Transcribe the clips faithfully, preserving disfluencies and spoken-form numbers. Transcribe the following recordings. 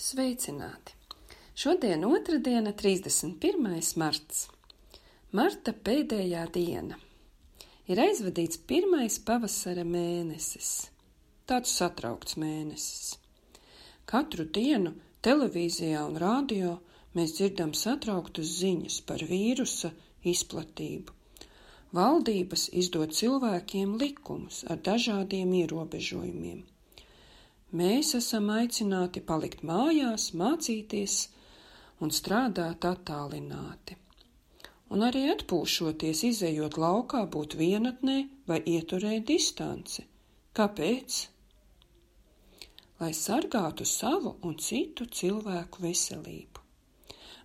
Sveicināti! Šodien otrdiena, trīsdesmit pirmais marts. Marta pēdējā diena. Ir aizvadīts pirmais pavasara mēnesis. Tāds satraukts mēnesis. Katru dienu televīzijā un radio mēs dzirdam satrauktas ziņas par vīrusa izplatību. Valdības izdod cilvēkiem likumus ar dažādiem ierobežojumiem. Mēs esam aicināti palikt mājās, mācīties un strādāt attālināti. Un arī atpūšoties, izejot laukā, būt vienatnē vai ieturēt distanci. Kāpēc? Lai sargātu savu un citu cilvēku veselību.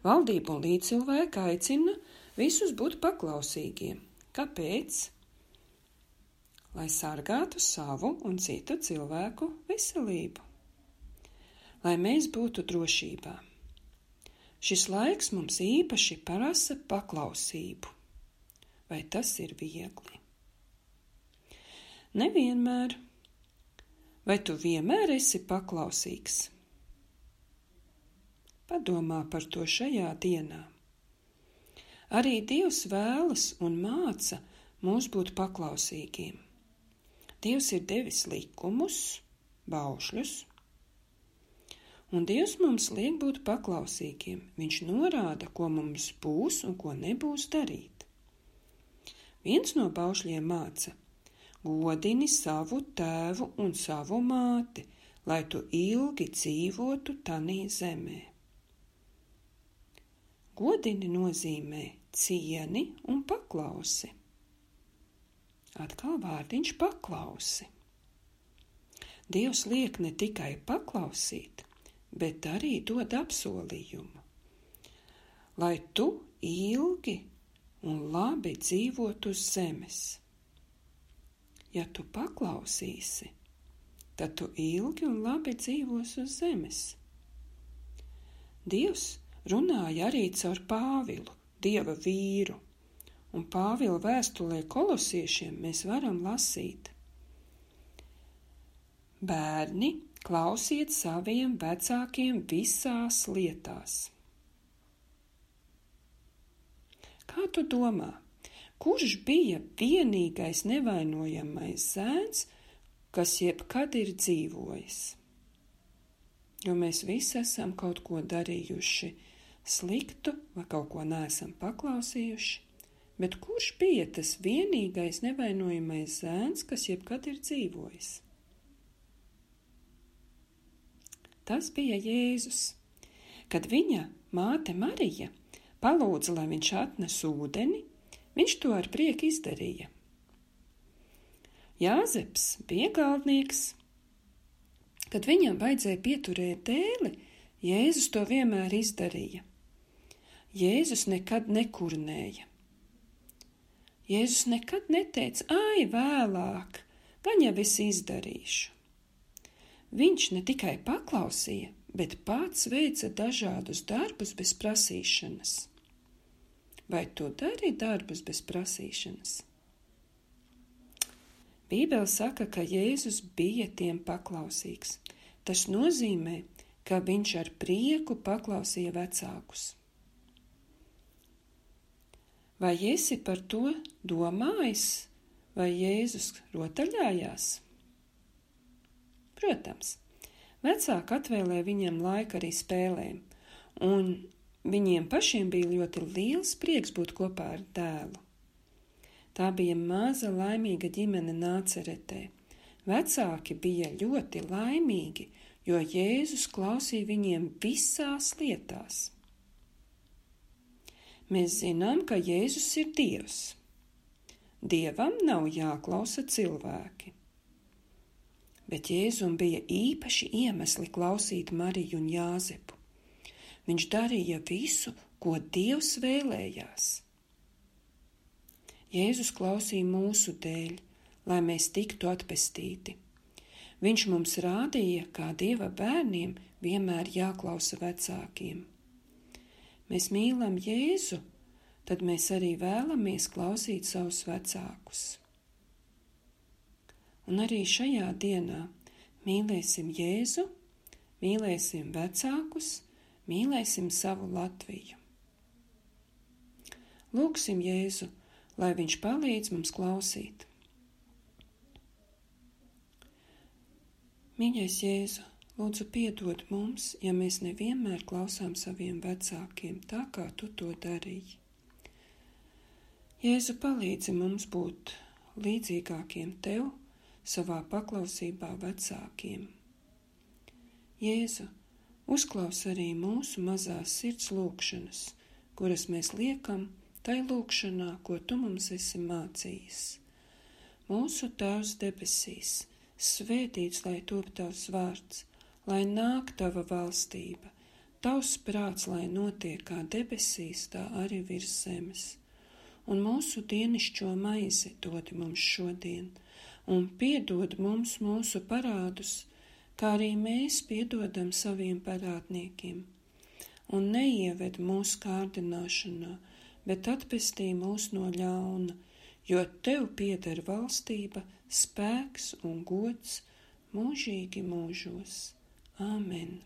Valdība un līdzcilvēki aicina visus būt paklausīgiem. Kāpēc? Lai sargātu savu un citu cilvēku veselību. Lai mēs būtu drošībā. Šis laiks mums īpaši prasa paklausību. Vai tas ir viegli? Nevienmēr. Vai tu vienmēr esi paklausīgs? Padomā par to šajā dienā. Arī Dievs vēlas un māca mūs būt paklausīgiem. Dievs ir devis likumus, baušļus, un Dievs mums liek būt paklausīgiem. Viņš norāda, ko mums būs un ko nebūs darīt. Viens no baušļiem māca: godini savu tēvu un savu māti, lai tu ilgi dzīvotu tanī zemē. Godini nozīmē cieni un paklausi. Atkal vārdiņš paklausi. Dievs liek ne tikai paklausīt, bet arī dod apsolījumu, lai tu ilgi un labi dzīvotu uz zemes. Ja tu paklausīsi, tad tu ilgi un labi dzīvos uz zemes. Dievs runāja arī caur Pāvilu, Dieva vīru. Un Pāvila vēstulē kolosiešiem mēs varam lasīt: bērni, klausiet saviem vecākiem visās lietās. Kā tu domā, kurš bija vienīgais nevainojamais zēns, kas jebkad ir dzīvojis? Jo mēs visi esam kaut ko darījuši sliktu vai kaut ko neesam paklausījuši. Bet kurš bija tas vienīgais nevainojamais zēns, kas jebkad ir dzīvojis? Tas bija Jēzus. Kad viņa māte Marija palūdza, lai viņš atnes ūdeni, viņš to ar prieku izdarīja. Jāzeps bija galdnieks. Kad viņam vajadzēja pieturēt dēli, Jēzus to vienmēr izdarīja. Jēzus nekad nekurnēja. Jēzus nekad neteica: ai, vēlāk, gan jau es izdarīšu. Viņš ne tikai paklausīja, bet pats veica dažādus darbus bez prasīšanas. Vai tu dari darbus bez prasīšanas? Bībele saka, ka Jēzus bija tiem paklausīgs. Tas nozīmē, ka viņš ar prieku paklausīja vecākus. Vai esi par to domājis, vai Jēzus rotaļājās? Protams, vecāki atvēlēja viņam laiku arī spēlēm, un viņiem pašiem bija ļoti liels prieks būt kopā ar dēlu. Tā bija maza laimīga ģimene Nāceretē. Vecāki bija ļoti laimīgi, jo Jēzus klausīja viņiem visās lietās. Mēs zinām, ka Jēzus ir Dievs. Dievam nav jāklausa cilvēki. Bet Jēzum bija īpaši iemesli klausīt Mariju un Jāzepu. Viņš darīja visu, ko Dievs vēlējās. Jēzus klausīja mūsu dēļ, lai mēs tiktu atpestīti. Viņš mums rādīja, kā Dieva bērniem vienmēr jāklausa vecākiem. Mēs mīlam Jēzu, tad mēs arī vēlamies klausīt savus vecākus. Un arī šajā dienā mīlēsim Jēzu, mīlēsim vecākus, mīlēsim savu Latviju. Lūgsim Jēzu, lai viņš palīdz mums klausīt. Mīļais Jēzu, lūdzu piedod mums, ja mēs nevienmēr klausām saviem vecākiem tā, kā tu to darīji. Jēzu, palīdzi mums būt līdzīgākiem tev, savā paklausībā vecākiem. Jēzu, uzklaus arī mūsu mazās sirds lūgšanas, kuras mēs liekam tai lūgšanā, ko tu mums esi mācījis. Mūsu Tēvs debesīs, svētīts lai top tavs vārds, lai nāk tava valstība, tavs prāts, lai notiek kā debesīs, tā arī virs zemes. Un mūsu dienišķo maizi dod mums šodien, un piedod mums mūsu parādus, kā arī mēs piedodam saviem parādniekiem. Un neieved mūsu kārdināšanā, bet atpestī mūs no ļauna, jo tev pieder valstība, spēks un gods mūžīgi mūžos. Āmen.